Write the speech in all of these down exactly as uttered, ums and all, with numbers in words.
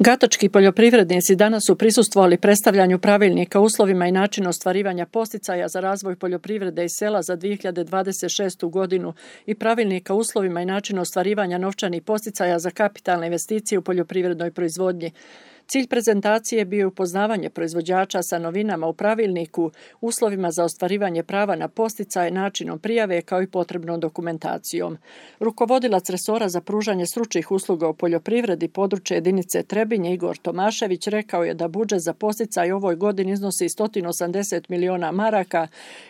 Gatočki poljoprivrednici danas su prisustvovali predstavljanju pravilnika o uslovima i načinu ostvarivanja posticaja za razvoj poljoprivrede i sela za dvije hiljade dvadeset šestu godinu i pravilnika o uslovima i načinu ostvarivanja novčanih posticaja za kapitalne investicije u poljoprivrednoj proizvodnji. Cilj prezentacije bio je upoznavanje proizvođača sa novinama u pravilniku, uslovima za ostvarivanje prava na posticaje, načinom prijave kao i potrebnom dokumentacijom. Rukovodilac resora za pružanje stručnih usluga u poljoprivredi područje jedinice Trebinje Igor Tomašević rekao je da budžet za posticaj ovoj godini iznosi sto osamdeset miliona maraka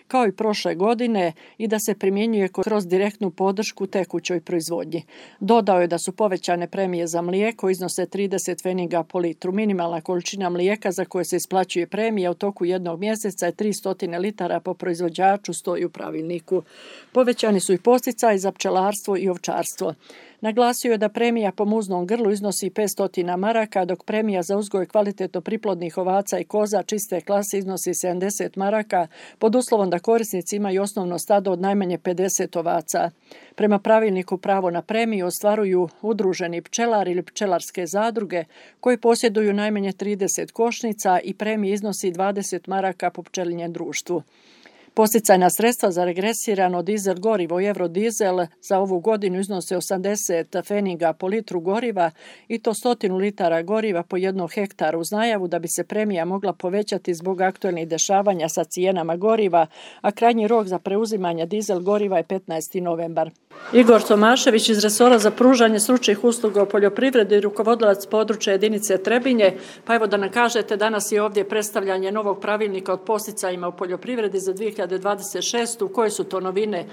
kao i prošle godine i da se primjenjuje kroz direktnu podršku tekućoj proizvodnji. Dodao je da su povećane premije za mlijeko iznose trideset pfeniga po litru. Minimalna količina mlijeka za koje se isplaćuje premija u toku jednog mjeseca je tristo litara po proizvođaču, stoji u pravilniku. Povećani su i posticaji za pčelarstvo i ovčarstvo. Naglasio je da premija po muznom grlu iznosi petsto maraka, dok premija za uzgoj kvalitetno priplodnih ovaca i koza čiste klase iznosi sedamdeset maraka, pod uslovom da korisnici imaju osnovno stado od najmanje pedeset ovaca. Prema pravilniku pravo na premiju ostvaruju udruženi pčelari ili pčelarske zadruge koji posjeduju najmanje trideset košnica i premija iznosi dvadeset maraka po pčelinjem društvu. Posticajna sredstva za regresirano dizel gorivo i eurodizel za ovu godinu iznose osamdeset pfeniga po litru goriva i to sto litara goriva po jednom hektaru uz najavu da bi se premija mogla povećati zbog aktualnih dešavanja sa cijenama goriva, a krajnji rok za preuzimanje dizel goriva je petnaesti novembar. Igor Tomašević iz resora za pružanje stručnih usluga u poljoprivredi i rukovodilac područja jedinice Trebinje, pa evo da nam kažete, danas je ovdje predstavljanje novog pravilnika o posticajima u poljoprivredi za dvije hiljade dvadeset šestu. Koje su to novine?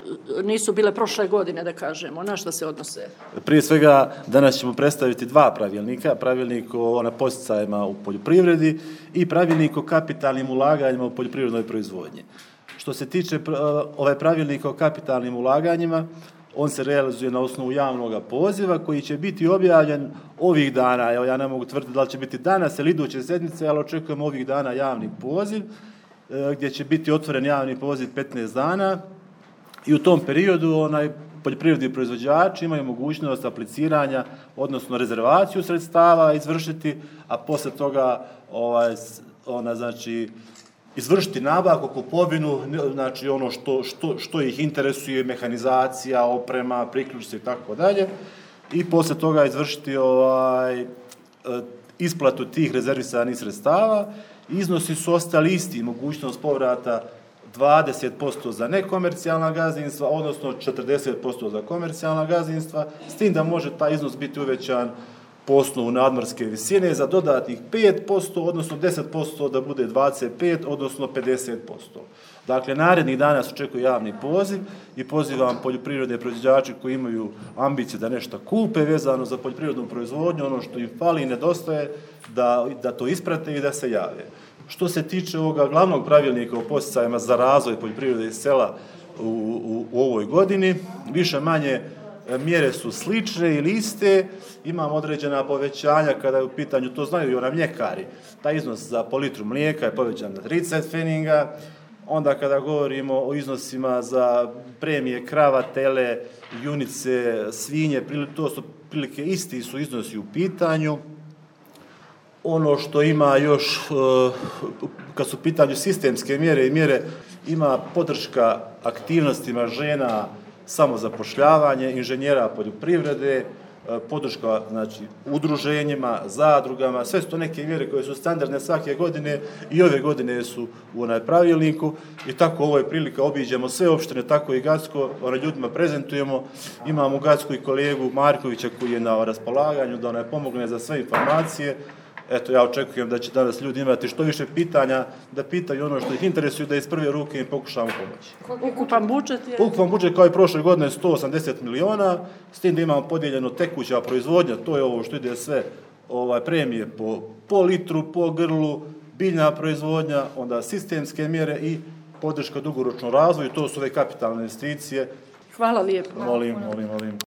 Nisu bile prošle godine, da kažemo. Na što se odnose? Prije svega, danas ćemo predstaviti dva pravilnika. Pravilnik o posticajima u poljoprivredi i pravilnik o kapitalnim ulaganjima u poljoprivrednoj proizvodnji. Što se tiče ovaj pravilnika o kapitalnim ulaganjima, on se realizuje na osnovu javnog poziva koji će biti objavljen ovih dana. Evo, ja ne mogu tvrditi da li će biti danas ili iduće sedmice, ali očekujemo ovih dana javni poziv gdje će biti otvoren javni poziv petnaest dana i u tom periodu onaj poljoprivredni proizvođači imaju mogućnost apliciranja, odnosno rezervaciju sredstava izvršiti, a poslije toga ovaj, ona, znači, izvršiti nabavku, kupovinu, znači ono što, što, što ih interesuje, mehanizacija, oprema, priključci i tako dalje, i poslije toga izvršiti ovaj, isplatu tih rezervisanih sredstava. Iznosi su ostali isti, mogućnost povrata dvadeset posto za nekomercijalna gazdinstva, odnosno četrdeset posto za komercijalna gazdinstva, s tim da može taj iznos biti uvećan po osnovu nadmorske visine za dodatnih pet posto, odnosno deset posto da bude dvadeset pet, odnosno pedeset posto. Dakle, narednih dana se očekuje javni poziv i pozivam poljoprivredne proizvođače koji imaju ambicije da nešto kupe vezano za poljoprivrednu proizvodnju, ono što im fali i nedostaje, da, da to isprate i da se jave. Što se tiče ovoga glavnog pravilnika o posticajima za razvoj poljoprivrede i sela u, u, u ovoj godini, više manje mjere su slične ili iste, imamo određena povećanja kada je u pitanju, to znaju i ona mljekari, taj iznos za po litru mlijeka je povećan na trideset pfeniga, onda kada govorimo o iznosima za premije krava, tele, junice, svinje, to su prilike isti su iznosi u pitanju. Ono što ima još, kad su u pitanju sistemske mjere i mjere, ima podrška aktivnostima žena, samozapošljavanje, inženjera poljoprivrede, podrška, znači, udruženjima, zadrugama, sve su to neke mjere koje su standardne svake godine i ove godine su u onaj pravilniku i tako ovo je prilika, obiđemo sve opštine, tako i Gacko, onaj ljudima prezentujemo, imamo u Gacku i kolegu Markovića koji je na raspolaganju da onaj pomogne za sve informacije. Eto, ja očekujem da će danas ljudi imati što više pitanja, da pitaju ono što ih interesuje, da iz prve ruke im pokušamo pomoći. Ukupan budžet je? Ukupan budžet kao i prošle godine sto osamdeset miliona, s tim da imamo podijeljeno tekuća proizvodnja, to je ovo što ide sve ovaj, premije po, po litru, po grlu, biljna proizvodnja, onda sistemske mjere i podrška dugoročnom razvoju, to su ove kapitalne investicije. Hvala lijepo. Molim, molim, molim.